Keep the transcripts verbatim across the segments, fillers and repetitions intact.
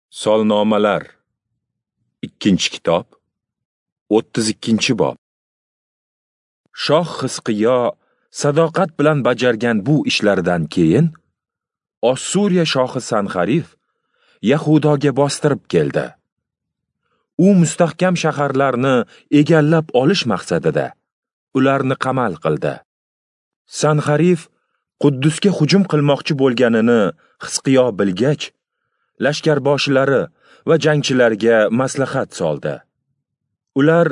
Solnomalar, ikkinchi kitob, o'ttiz ikkinchi bob. Shoh Xizqiyo sadoqat bilan bajargan bu ishlaridan keyin Ossuriya shohi Sanxarif Yahudoga bostirib keldi. U mustahkam shaharlarni egallab olish maqsadida ularni qamal qildi. Sanxarif Quddusga hujum qilmoqchi bo'lganini Xizqiyo bilgach, lashkarboshilari va jangchilarga maslahat soldi. Ular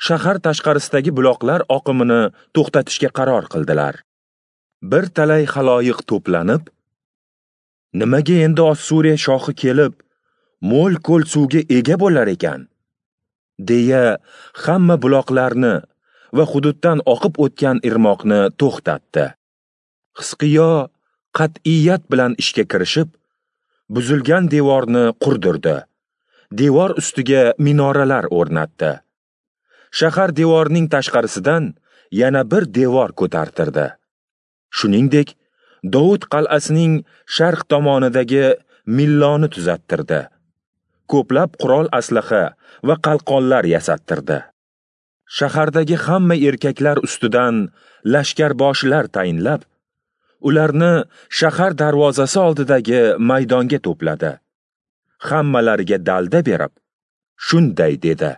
shahar tashqarisidagi buloqlar oqimini to'xtatishga qaror qildilar. Bir talay xaloyiq to'planib, nimaga endi Ossuriya shohi kelib, mo'l ko'l suvga ega bo'lar ekan, deya hamma buloqlarni va hududdan oqib o'tgan irmoqni to'xtatdi. Xizqiyo qat'iyat bilan ishga kirishib, buzilgan devorni qurdirdi. Devor ustiga minoralar o'rnatdi. Shahar devorining tashqarisidan yana bir devor ko'tartirdi. Shuningdek, Dovud qal'asining sharq tomonidagi milloni tuzattirdi. Ko'plab qurol aslaha va qalqonlar yasattirdi. Shahardagi hamma erkaklar ustidan lashkarboshilar tayinlab, ularni shahar darvozasi oldidagi maydonga to'pladi. Hammalariga dalda berib, shunday dedi: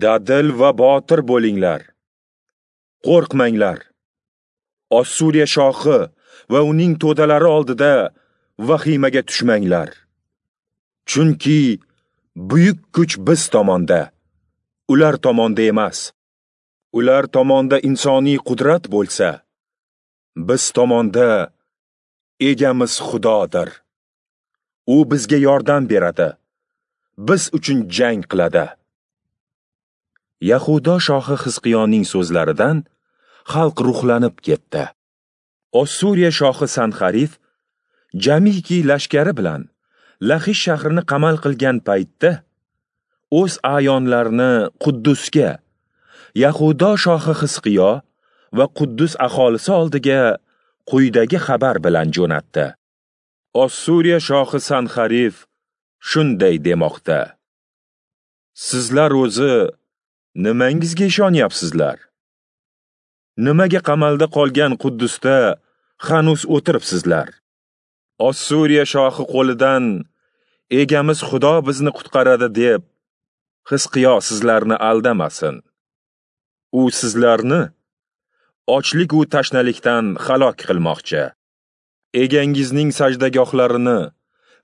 Dadil va botir bo'linglar. Qo'rqmanglar. Ossuriya shohi va uning to'dalari oldida vahimaga tushmanglar. Chunki buyuk kuch biz tomonda, ular tomonda emas. Ular tomonda insoniy qudrat bo'lsa, biz tomonda egamiz Xudodir. U bizga yordam beradi. Biz uchun jang qiladi. Yahudo shohi Xizqiyoning so'zlaridan xalq ruhlanib ketdi. Ossuriya shohi Sanxarif jamiki lashkari bilan Laxish shahrini qamal qilgan paytda o'z a'yonlarini Quddusga, Yahudo shohi Xizqiyo va Quddus aholisi oldiga quyidagi xabar bilan jo'natdi. Ossuriya shohi Sanxarif shunday demoqda: Sizlar o'zi nimangizga ishonyapsizlar? Nimaga qamalda qolgan Quddusda hanuz o'tiribsizlar? Ossuriya shohi qo'lidan egamiz Xudo bizni qutqaradi deb Xizqiyo sizlarni aldamasin. U sizlarni ochlik u tashnalikdan halok qilmoqchi. Egangizning sajdagohlarini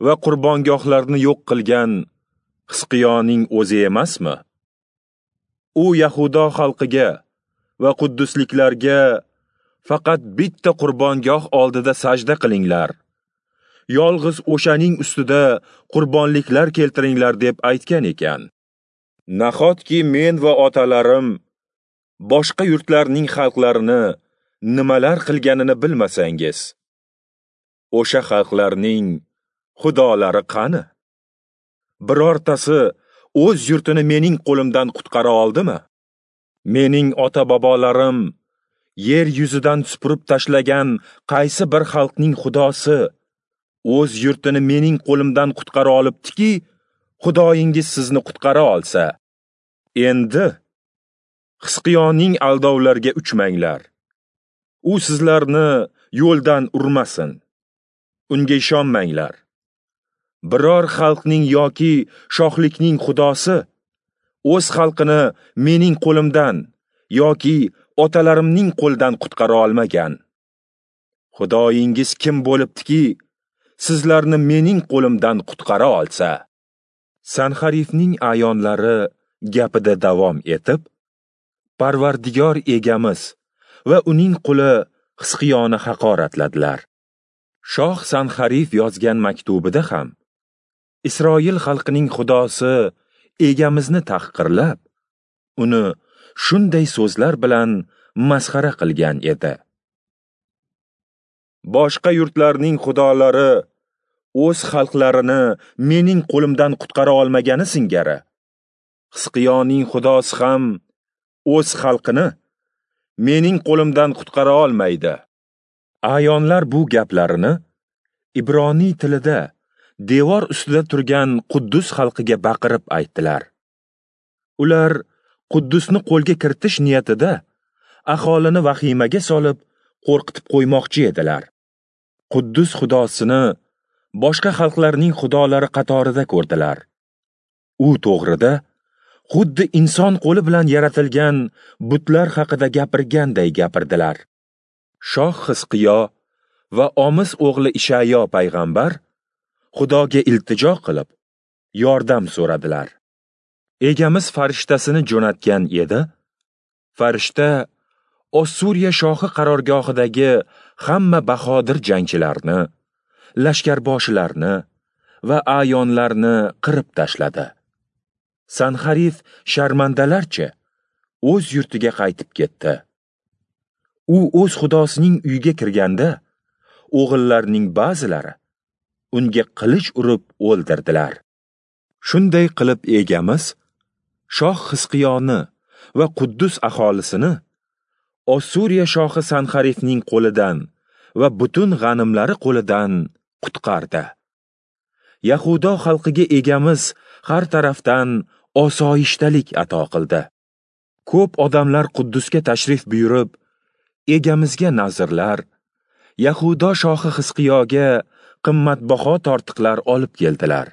va qurbongohlarini yo'q qilgan Xizqiyoning o'zi emasmi? U Yahudo xalqiga va quddusliklarga faqat bitta qurbongoh oldida sajda qilinglar, yolg'iz o'shaning ustida qurbonliklar keltiringlar deb aytgan ekan. Nahotki men va otalarim boshqa yurtlarning xalqlarini nimalar qilganini bilmasangiz, o'sha xalqlarning xudolari qani? Birortasi o'z yurtini mening qo'limdan qutqara oldimi? Mening ota-bobolarim yer yuzidan supurib tashlagan qaysi bir xalqning xudosi o'z yurtini mening qo'limdan qutqara olibdiki, Xudoyingiz sizni qutqara olsa? Endi Xizqiyoning aldovlarga uchmanglar. U sizlarni yo'ldan urmasin. Unga ishonmanglar. Biror xalqning yoki shohlikning xudosi o'z xalqini mening qo'limdan yoki otalarimning qo'lidan qutqara olmagan. Xudoyingiz kim bo'libdiki, sizlarni mening qo'limdan qutqara olsa? Sanxarifning a'yonlari gapida davom etib, Parvardigor egamiz va uning quli Xizqiyoni haqoratladilar. Shoh Sanxarif yozgan maktubida ham Isroil xalqining xudosi egamizni tahqirlab, uni shunday so'zlar bilan masxara qilgan edi. Boshqa yurtlarning xudolari o'z xalqlarini mening qo'limdan qutqara olmagani singari, Xizqiyoning xudosi ham o'z xalqini mening qo'limdan qutqara olmaydi. A'yonlar bu gaplarini Ibroniy tilida devor ustida turgan Quddus xalqiga baqirib aytdilar. Ular Quddusni qo'lga kiritish niyatida aholini vahimaga solib, qo'rqitib qo'ymoqchi edilar. Quddus xudosini boshqa xalqlarning xudolari qatorida ko'rdilar. U to'g'rida xuddi inson qo'li bilan yaratilgan butlar haqida gapirganday gapirdilar. Shoh Xizqiyo va Omis o'g'li Ishayo payg'ambar Xudoga iltijo qilib, yordam so'radilar. Egamiz farishtasini jo'natgan edi. Farishta Ossuriya shohi qarorgohidagi hamma bahodir jangchilarni, lashkarboshilarni va a'yonlarni qirib tashladi. Sanxarif sharmandalarcha o'z yurtiga qaytib ketdi. U o'z xudosining uyiga kirganda, o'g'illarining ba'zilari unga qilich urib o'ldirdilar. Shunday qilib egamiz shoh Xizqiyoni va Quddus aholisini Ossuriya shohi Sanxarifning qo'lidan va butun g'animlari qo'lidan qutqardi. Yahudo xalqiga egamiz har tarafdan osoyishtalik ato qildi. Ko'p odamlar Quddusga tashrif buyurib, egamizga nazrlar, Yahudo shohi Xizqiyoga qimmatbaho tortiqlar olib keldilar.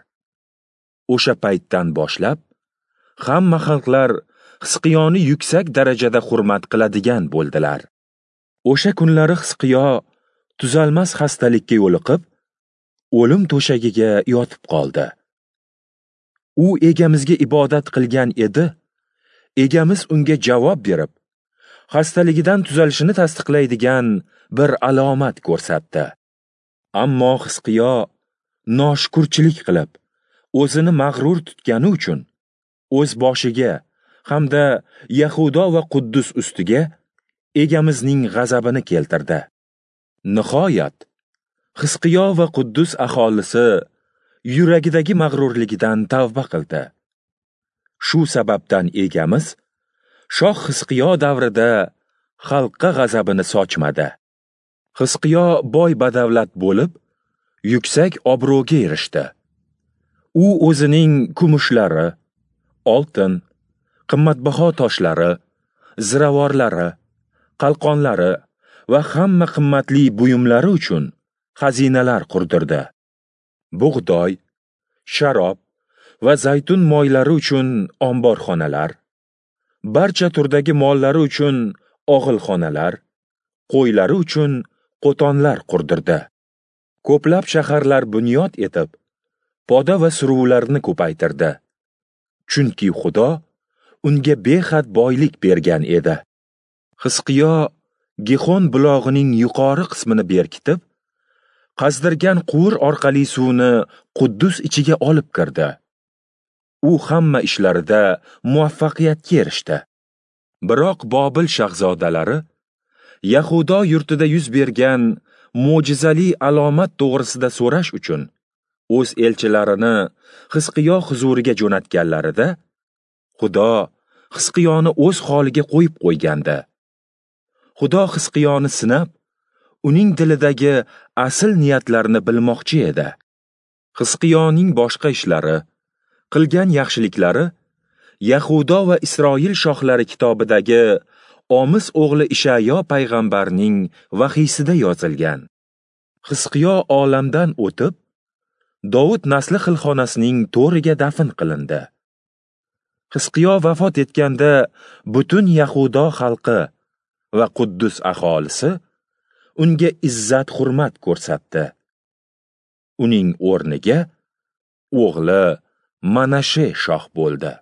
O'sha paytdan boshlab hamma xalqlar Xizqiyoni yuksak darajada hurmat qiladigan bo'ldilar. O'sha kunlari Xizqiyo tuzalmas xastalikka yo'liqib, o'lim to'shagiga yotib qoldi. U egamizga ibodat qilgan edi. Egamiz unga javob berib, xastaligidan tuzalishini tasdiqlaydigan bir alomat ko'rsatdi. Ammo Xizqiyo noshukurchilik qilib, o'zini mag'rur tutgani uchun o'z boshiga hamda Yahudo va Quddus ustiga egamizning g'azabini keltirdi. Nihoyat, Xizqiyo va Quddus aholisi yuragidagi mag'rurligidan tavba qildi. Shu sababdan egamiz shoh Xizqiyo davrida xalqqa g'azabini sochmadi. Xizqiyo boy badavlat bo'lib, yuksak obro'ga erishdi. U o'zining kumushlari, oltin, qimmatbaho toshlari, ziravorlari, qalqonlari va hamma qimmatli buyumlari uchun xazinalar qurdirdi. Bug'doy, sharob va zaytun moylari uchun omborxonalar, barcha turdagi mollari uchun og'ilxonalar, qo'ylari uchun qo'tonlar qurdirdi. Ko'plab shaharlar bunyod etib, poda va suruvlarni ko'paytirdi. Chunki Xudo unga behad boylik bergan edi. Xizqiyo Gihon bulog'ining yuqori qismini berkitib, qazdirgan quvur orqali suvni Quddus ichiga olib kirdi. U hamma ishlarida muvaffaqiyatga erishdi. Biroq Bobil shahzodalari Yahudo yurtida yuz bergan mo'jizali alomat to'g'risida so'rash uchun o'z elchilarini Xizqiyo huzuriga jo'natganlarida, Xudo Xizqiyoni o'z holiga qo'yib qo'ygandi. Xudo Xizqiyoni sinab, uning dilidagi asl niyatlarini bilmoqchi edi. Xizqiyoning boshqa ishlari, qilgan yaxshiliklari Yahudo va Isroil shohlari kitobidagi Omis o'g'li Ishayo payg'ambarning vahiysida yozilgan. Xizqiyo olamdan o'tib, Dovud nasli xilxonasining to'riga dafn qilindi. Xizqiyo vafot etganda butun Yahudo xalqi va Quddus aholisi unga izzat hurmat ko'rsatdi. Uning o'rniga o'g'li Manashe shoh bo'ldi.